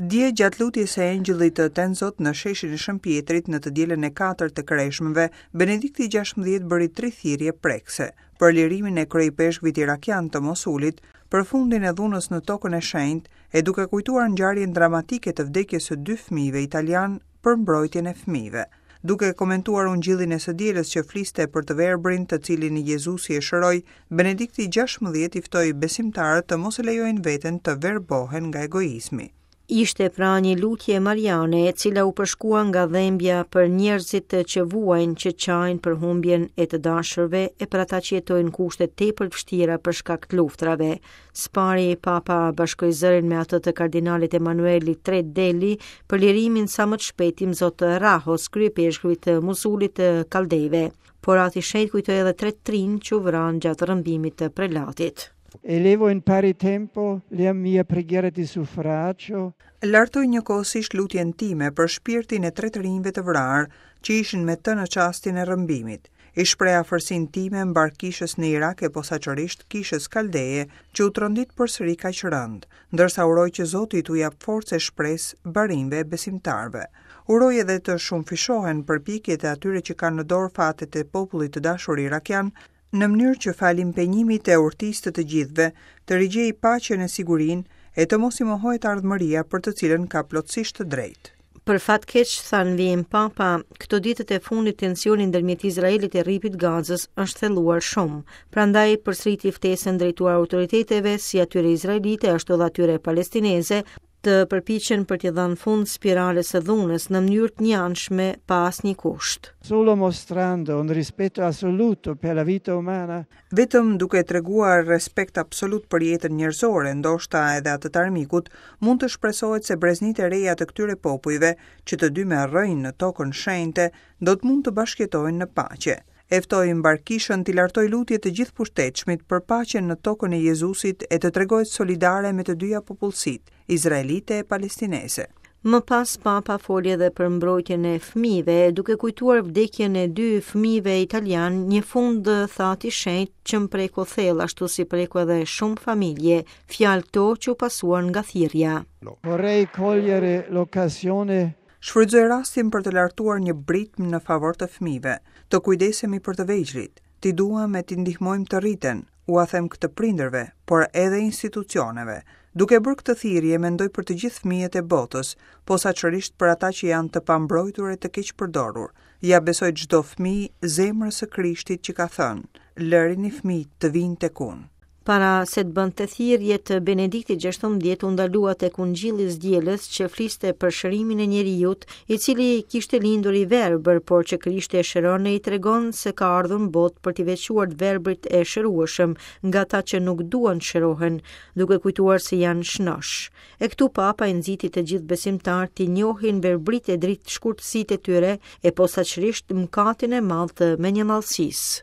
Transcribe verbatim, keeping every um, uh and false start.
Dje gjatë lutjes së Engjëllit të Tenzot në sheshin e Shën Pjetrit në të dielën e katërt të Kreshmëve, Benedikti gjashtëmbëdhjetë bëri tri thirrje prekse për lirimin e kryeipeshkvit irakian të Mosulit, për fundin e dhunës në tokën e shenjtë e duke kujtuar ngjarjen dramatike të vdekjes së dy fëmijëve italian për mbrojtjen e fëmijëve. Duke komentuar ungjillin e së dielës që fliste për të verbrin të cilin Jezusi e shëroi, Benedikti gjashtëmbëdhjetë i ftoi besimtarët të mos e lejojnë veten të verbohen nga egoizmi. Ishte pra një lutje mariane e cila u përshkua nga dhembja për njerëzit që vuajnë, që qajnë për humbjen e të dashurve e për ata që jetojnë në kushte tepër të vështira për shkak të luftrave. Spari Papa bashkoi zërin me atë të kardinalit Emanuelit tre Deli për lirimin sa më të shpejtë të Imzot Rahos, kryepeshkvit të Mosulit të Kaldejve. Por Ati Shenjt kujtoi edhe tre të rinj që u vranë gjatë rrëmbimit të prelatit. Elevo in pari tempo la mia preghiera di suffragio. Lartoj njëkohësisht lutjen time për shpirtin e tre të rinjve të vrarë që ishin me të në çastin e rrëmbimit. I shpreh afërsinë time mbar kishës në Irak e posaçërisht kishës kaldeje që u trondit përsëri kaq rënd, ndërsa uroj që Zoti t'u jap forcë e shpresë barinjve e besimtarëve. Uroj edhe të shumëfishohen përpjekjet e atyre që kanë në dorë fatet e popullit të dashur irakian, në mënyrë që falë impenjimit e urtisë të të gjithëve, të rigjej paqen e sigurinë e të mos i mohohet ardhmëria për të cilën ka plotësisht të drejtë. Për fat keq, tha në vijim Papa, këto ditët e fundit tensioni ndërmjet Izraelit e Rripit Gazës është thelluar shumë. Prandaj përsëriti ftesën drejtuar autoriteteve, si atyre izraelite ashtu edhe atyre palestineze, të përpiqen për t'i dhënë fund spirales së dhunës në mënyrë të njëanshme pa asnjë kusht. Solo mostrando un rispetto assoluto per la vita umana. Vetëm duke treguar respekt absolut për jetën njerëzore, ndoshta edhe atë të armikut, mund të shpresohet se breznitë e reja të këtyre popujve, që të dy me rrënjë në tokën shenjte, do të mund të bashkëjetojnë në paqe. E ftoi mbar kishën t'i lartoj lutje të gjithë pushtetshmit për paqen në tokën e Jezusit e të tregohet solidare me të dyja popullsitë, izraelite e palestineze. Më pas Papa foli edhe për mbrojtjen e fëmijëve, duke kujtuar vdekjen e dy fëmijëve italian, një fund tha Ati Shenjt që më preku thellë, ashtu si preku edhe shumë familje, fjalë këto që u pasuan nga thirrja. Vorrei cogliere l'occasione. Shfrytëzoj rastin për të lartuar një britmë në favor të fëmijëve, të kujdesemi për të vegjlit, t'i duam e t'i ndihmojmë të rriten, ua them këtë prindërve, por edhe institucioneve. Duke bërë këtë thirrje, mendoj për të gjithë fëmijët e botës, posaçërisht për ata që janë të pambrojtur e të keqpërdorur. Ja besoj çdo fëmijë zemrës së Krishtit që ka thënë, lërini fëmijët të vinë tek unë. Para se të bënte thirrjet, Benedikti gjashtëmbëdhjetë u ndalua tek Ungjilli i Dielës që fliste për shërimin e njeriut, i cili kishte lindur i verbër, por që Krishti e shëron e i tregon se ka ardhur në botë për t'i veçuar të verbrit e shërueshëm nga ata që nuk duan të shërohen, duke kujtuar se janë shnosh. E këtu Papa i nxiti të gjithë besimtarët t'i njohin verbrit e dritë shkurtësitë e tyre e posaçërisht mëkatin e madh të mendjemadhësisë.